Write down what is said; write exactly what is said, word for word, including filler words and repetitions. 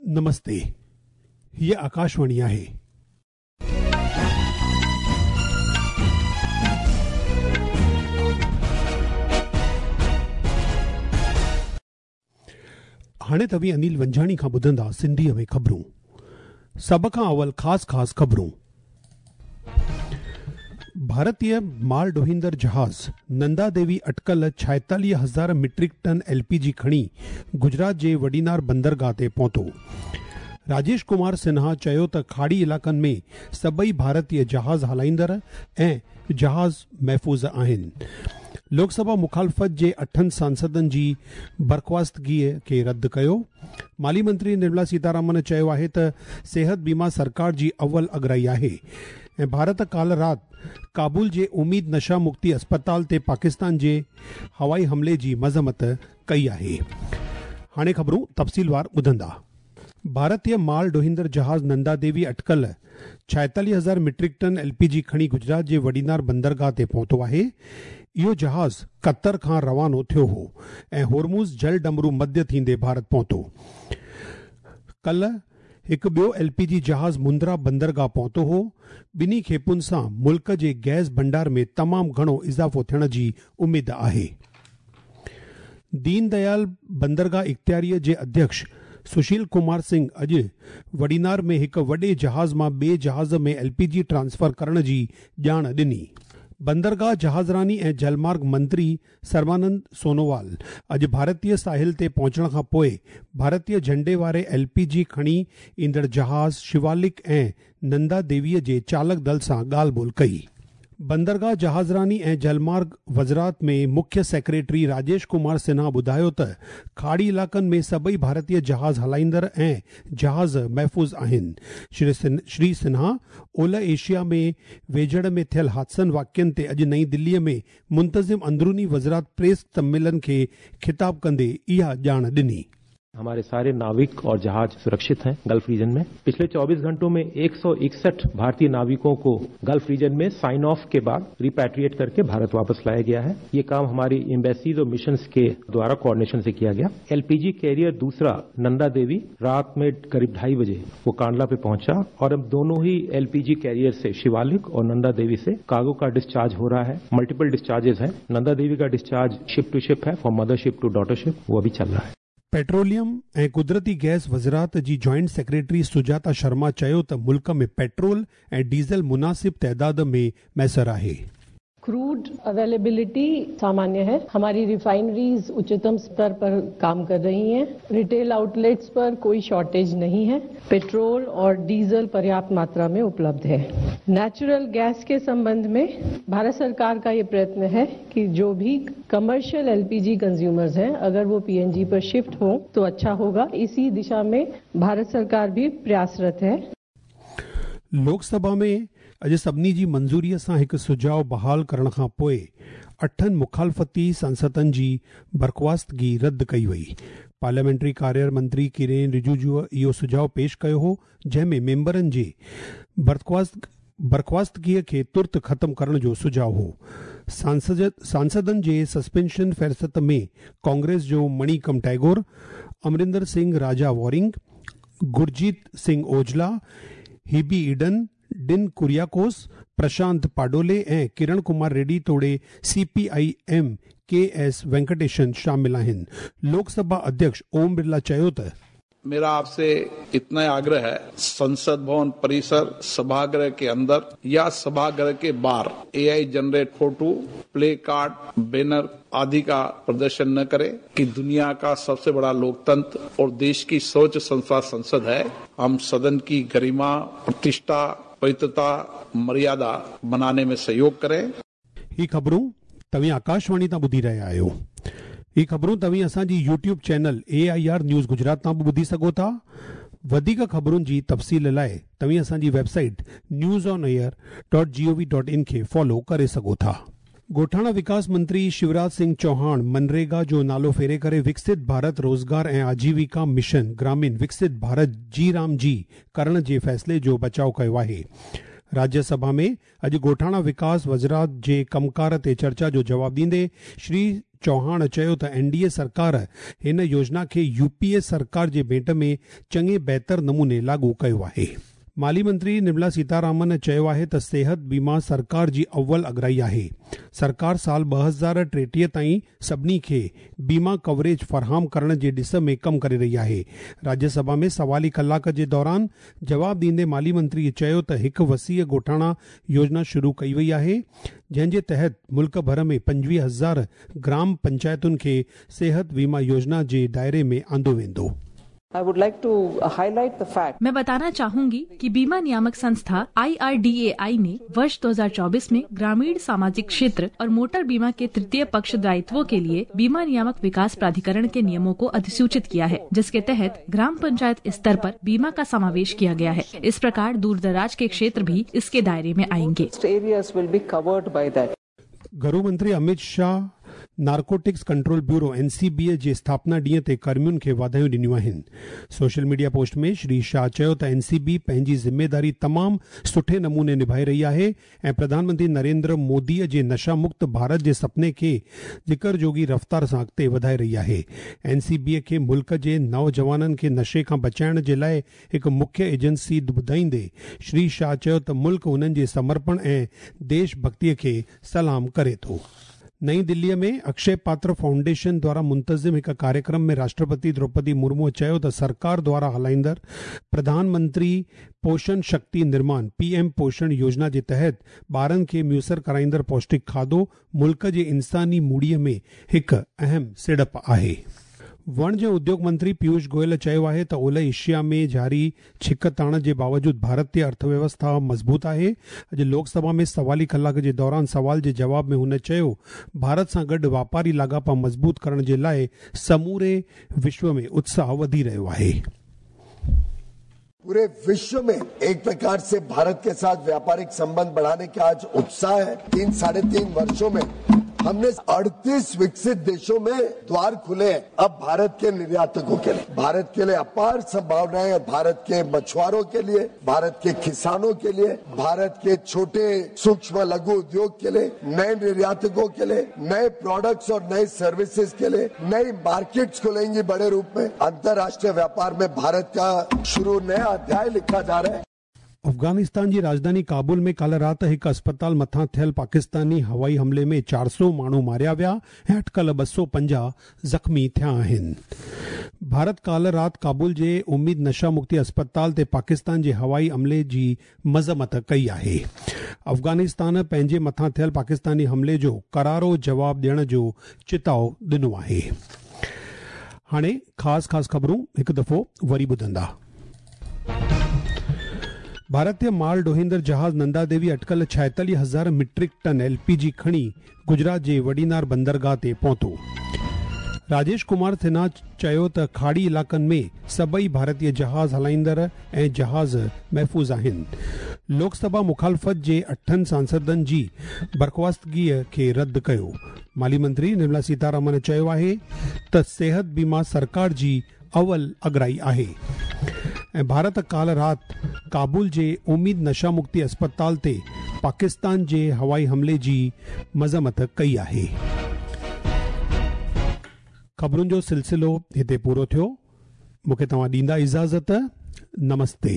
नमस्ते, हीअ आकाशवाणी आहे। हाणे तव्हीं अनिल वंजाणी खां ॿुधंदा सिंधीअ में ख़बरूं। सभ खां अवल ख़ासि ख़ासि ख़बरूं। भारतीय माल ढोईंदड़ जहाज़ नंदा देवी अटकल छाएतालीह हज़ार मीट्रिक टन एलपीजी खणी गुजरात जे वडीनार बंदरगाह ते पहुतो। राजेश कुमार सिन्हा चयो त खाड़ी इलाइक़नि में सभई भारतीय जहाज़ हलाईंदड़ ऐं जहाज़ महफ़ूज़ आहिनि। लोकसभा मुखालफ़त जे अठनि सांसदनि जी बर्खास्तगीअ खे रद्द कयो। माली मंत्री निर्मला सीतारामन चयो आहे त सिहत बीमा सरकार जी अव्वल अगराई आहे। ऐं भारत काल राति काबुल जे उम्मीद नशा मुक्ति अस्पताल ते पाकिस्तान जे हवाई हमले जी मज़म्मत कई आहे। हाणे ख़बरूं तफ़सीलवार ॿुधंदा। भारतीय माल ढोईंदड़ जहाज़ नंदा देवी अटकल छाएतालीह हज़ार मीट्रिक टन एलपीजी खणी गुजरात जे वडीनार बंदरगाह ते पहुतो आहे। इहो जहाज़ कतर खां रवानो थियो हो ऐं होर्मुज़ जल डमरू मध्य थींदे भारत पहुतो। कल हिकु ॿियो एलपीजी जहाज़ मुंद्रा बंदरगाह पहुतो हो। ॿिन्ही खेपुनि सां मुल्क जे गैस भंडार में तमामु घणो इज़ाफ़ो थियण जी उमेद आहे। दीनदयाल बंदरगाह इख़्तियारीअ जे अध्यक्ष सुशील कुमार सिंह अॼु वडीनार में हिकु वॾे जहाज़ मां ॿिए जहाज़ में एलपीजी ट्रांसफर करण जी ॼाण ॾिनी। बंदरगाह जहाज़रानी ऐं जलमार्ग मंत्री सर्बानंद सोनोवाल अॼु भारतीय साहिल ते पहुचण खां पोइ भारतीय झंडे वारे एलपीजी खणी ईंदड़ जहाज़ शिवालिक ऐं नंदा देवीअ जे चालक दल सां ॻाल्हि ॿोल कई। बंदरगाह जहाज़रानी ऐं जलमार्ग वज़ारत में मुख्य सेक्रेटरी राजेश कुमार सिन्हा ॿुधायो त खाड़ी इलाइक़नि में सभई भारतीय जहाज़ हलाईंदड़ ऐं जहाज़ महफ़ूज़ आहिनि। श्री श्री सिन्हा ओलह एशिया में वेझड़ में थियल हादसनि वाक़ियनि ते अॼु नई दिल्लीअ में मुंतज़िम अंदरूनी वज़ारत प्रेस सम्मेलन खे ख़िताब कंदे इहा ॼाण ॾिनी। हमारे सारे नाविक और जहाज सुरक्षित हैं गल्फ रीजन में। पिछले चौबीस घंटों में एक सौ इकसठ भारतीय नाविकों को गल्फ रीजन में साइन ऑफ के बाद रिपैट्रिएट करके भारत वापस लाया गया है। ये काम हमारी एम्बेसीज और मिशंस के द्वारा कोऑर्डिनेशन से किया गया। एलपीजी कैरियर दूसरा नंदा देवी रात में करीब ढाई बजे वो कांडला पे पहुंचा और अब दोनों ही एलपीजी कैरियर से शिवालिक और नंदा देवी से कार्गो का डिस्चार्ज हो रहा है। मल्टीपल डिस्चार्जेस है। नंदा देवी का डिस्चार्ज शिप टू शिप है, from mother ship to daughter ship, वो अभी चल रहा है। पेट्रोलियम ऐं कुदरती गैस वज़ारत जी जॉइंट सेक्रेटरी सुजाता शर्मा चयो त मुल्क में पेट्रोल ऐं डीज़ल मुनासिब तादाद में मैसर आहे। क्रूड अवेलेबिलिटी सामान्य है। हमारी रिफाइनरीज उच्चतम स्तर पर काम कर रही हैं। रिटेल आउटलेट्स पर कोई शॉर्टेज नहीं है। पेट्रोल और डीजल पर्याप्त मात्रा में उपलब्ध है। नेचुरल गैस के संबंध में भारत सरकार का ये प्रयत्न है कि जो भी कमर्शियल एलपीजी कंज्यूमर्स हैं, अगर वो पीएनजी पर शिफ्ट हो तो अच्छा होगा। इसी दिशा में भारत सरकार भी प्रयासरत है। लोकसभा में अॼु सभिनी जी मंज़ूरीअ सां हिकु सुझाव बहाल करण खां पोइ अठनि मुखालफ़ती सांसदनि जी बर्खास्तगी रद्द कई वई। पार्लियामेंट्री कार्य मंत्री किरेन रिजिजू इहो सुझाव पेश कयो हो, जंहिं में मेंबरनि जे बर्खास्त बर्खास्तगीअ खे तुर्त ख़त्म करण जो सुझाव हो। सांसद सांसदनि जे सस्पेंशन फ़हरिस्त में कांग्रेस जो मणिकम टैगोर, अमरिंदर सिंह राजा वॉरिंग, गुरजीत सिंह ओजला, हिबी ईडन, डिन कुरियाकोस, प्रशांत पाडोले ऐं किरण कुमार रेड्डी तोड़े CPI M K S Venkatesan शामिल आहिनि। लोकसभा अध्यक्ष ओम बिरला चयो त मेरा आपसे इतना आग्रह है, संसद भवन परिसर सभागृह के अंदर या सभागृह के बाहर AI generate photo, play card, banner आदि का प्रदर्शन न करें कि दुनिया का सबसे बड़ा लोकतंत्र और देश की सर्वोच्च संस्था संसद है। हम सदन की गरिमा, प्रतिष्ठा, पवित्रता, मर्यादा बनाने में सहयोग करें। ही ख़बरूं तव्हीं आकाशवाणी तां ॿुधी रहिया आहियो। ही ख़बरूं तव्हीं असांजी YouTube channel A I R news Gujarat तां बि ॿुधी सघो था। वधीक ख़बरुनि जी तफ़सील लाइ तव्हीं असांजी website news on air dot G O V dot in खे फॉलो करे सघो था। ॻोठाणा विकास मंत्री शिवराज सिंह चौहान मनरेगा जो नालो फेरे करे विकसित भारत रोज़गार ऐं आजीविका मिशन ग्रामीण विकसित भारत जी राम जी करण जे फ़ैसिले जो बचाव कयो आहे। राज्य सभा में अॼु ॻोठाणा विकास वज़ारत जे कमकार ते चर्चा जो जवाब ॾींदे श्री चौहान चयो त एनडीए सरकार हिन योजना खे यूपीए सरकार जे भेंट में चङे बहितर नमूने लागू कयो आहे। माली मंत्री निर्मला सीतारामन चयो आहे त सेहत बीमा सरकार जी अव्वल अगराई आहे। सरकार साल ॿ हज़ार टेटीह ताईं सभिनी खे बीमा कवरेज फराहम करण जे ॾिस में कमु करे रही आहे। राज्यसभा में सवाली कलाक जे दौरान जवाब ॾींदे माली मंत्री चयो त हिकु वसीअ ॻोठाणा योजना शुरू कई वई आहे, जंहिंजे तहत मुल्क भर में पंजवीह हज़ार ग्राम पंचायतुनि खे सेहत बीमा योजना जे दायरे में आंदो वेंदो। I would like to highlight the fact. मैं बताना चाहूंगी कि बीमा नियामक संस्था I R D A आई ने वर्ष दो हज़ार चौबीस में ग्रामीण सामाजिक क्षेत्र और मोटर बीमा के तृतीय पक्ष दायित्वों के लिए बीमा नियामक विकास प्राधिकरण के नियमों को अधिसूचित किया है, जिसके तहत ग्राम पंचायत स्तर पर बीमा का समावेश किया गया है। इस प्रकार दूर दराज के क्षेत्र भी इसके दायरे में आएंगे। Areas will be covered by that. घरू मंत्री Amit Shah narcotics control bureau N C B जे स्थापना ॾींहं ते कर्मियुनि खे वाधायूं ॾिनियूं आहिनि। सोशल मीडिया पोस्ट में श्री शाह चयो त एन सी बी पंहिंजी ज़िम्मेदारी तमामु सुठे नमूने निभाए रही आहे ऐं प्रधानमंत्री नरेंद्र मोदीअ जे नशा मुक्त भारत जे सपने खे ज़िक्र जोगी रफ़्तार सां अॻिते वधाए रही आहे। एन सी बी खे मुल्क जे नौजवाननि खे नशे खां बचाइण जे लाइ हिकु मुख्य एजेंसी ॿुधाईंदे श्री शाह चयो त मुल्क हुननि जे समर्पण ऐं देशभक्तीअ खे सलाम करे थो। नई दिल्ली में अक्षय पात्र फाउंडेशन द्वारा मुंतज़िम हिकु कार्यक्रम में राष्ट्रपति द्रौपदी मुर्मू चयो त सरकार द्वारा हलाईंदड़ प्रधानमंत्री पोषण शक्ति निर्माण पीएम पोषण योजना जे तहत ॿारनि खे मुयसर कराईंदड़ पौष्टिक खाधो मुल्क जे इंसानी मूड़ीअ में हिकु अहम सिड़प आहे। वणिज उद्योग मंत्री पीयूष गोयल चयो आहे त ओलह एशिया में जारी छिकताण जे बावजूद भारतीय अर्थव्यवस्था मज़बूत आहे। अॼु लोकसभा में सवाली कलाक जे दौरान सवाल जे जवाब में हुन चयो भारत सां गॾु वापारी लाॻापा मज़बूत करण जे लाइ समूरे विश्व में उत्साह वधी रहियो आहे। पूरे विश्व में एक प्रकार से भारत के साथ व्यापारिक संबंध बढ़ाने का आज उत्साह है। तीन साढ़े तीन वर्षों में हमने अड़तीस विकसित देशों में द्वार खुले हैं अब भारत के निर्यातकों के लिए। भारत के लिए अपार संभावनाएं और भारत के मछुआरों के लिए, भारत के किसानों के लिए, भारत के छोटे सूक्ष्म लघु उद्योग के लिए, नए निर्यातकों के लिए, नए प्रोडक्ट्स और नए सर्विसेज के लिए नई मार्केट्स खुलेंगी बड़े रूप में। अंतर्राष्ट्रीय व्यापार में भारत का शुरू नया अध्याय लिखा जा रहा है। अफ़गानिस्तान जी राजधानी काबुल में काल राति हिकु अस्पताल मथां थियल पाकिस्तानी हवाई हमले में चार सौ माण्हू मारिया विया ऐं अटकल ॿ सौ पंजाह ज़ख़्मी थिया आहिनि। भारत काल राति काबुल जे उम्मीद नशा मुक्ति अस्पताल ते पाकिस्तान जे हवाई हमले जी मज़म्मत कई आहे। अफ़गानिस्तान पंहिंजे मथां थियल पाकिस्तानी हमले जो करारो जवाब ॾियण जो चिताव ॾिनो आहे। हाणे ख़ासि ख़ासि ख़बरूं हिकु दफ़ो वरी ॿुधंदा। भारतीय माल ढोईंदड़ जहाज़ नंदा देवी अटकल छाएतालीह हज़ार मीट्रिक टन एलपीजी खणी गुजरात जे वडीनार बंदरगाह ते पहुतो। राजेश कुमार सिन्हा चयो त खाड़ी इलाक़नि में सभई भारतीय जहाज़ हलाईंदड़ ऐं जहाज़ महफ़ूज़ आहिनि। लोकसभा मुखालफ़त जे अठनि सांसदनि जी बर्ख़्वास्तगीअ खे रद्द कयो। माली मंत्री निर्मला सीतारामन चयो आहे त सेहत बीमा सरकार जी अव्वल अगराई आहे। ऐं भारत काल राति काबुल जे उम्मीद नशा मुक्ति अस्पताल ते पाकिस्तान जे हवाई हमले जी मज़म्मत कई आहे। ख़बरुनि जो सिलसिलो हिते पूरो थियो। मूंखे तव्हां ॾींदा इजाज़त। नमस्ते।